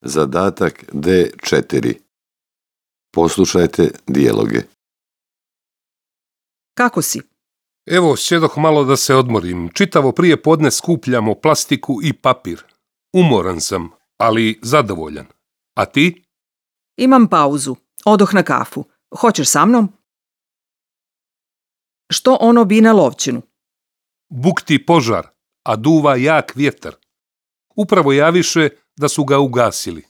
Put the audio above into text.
Zadatak D4. Poslušajte dijaloge. Kako si? Evo, sjedoh malo da se odmorim. Čitavo prije podne skupljamo plastiku i papir. Umoran sam, ali zadovoljan. A ti? Imam pauzu. Odoh na kafu. Hoćeš sa mnom? Što ono bi na lovčinu? Bukti požar, a duva jak vjetar. Upravo javiše da su ga ugasili.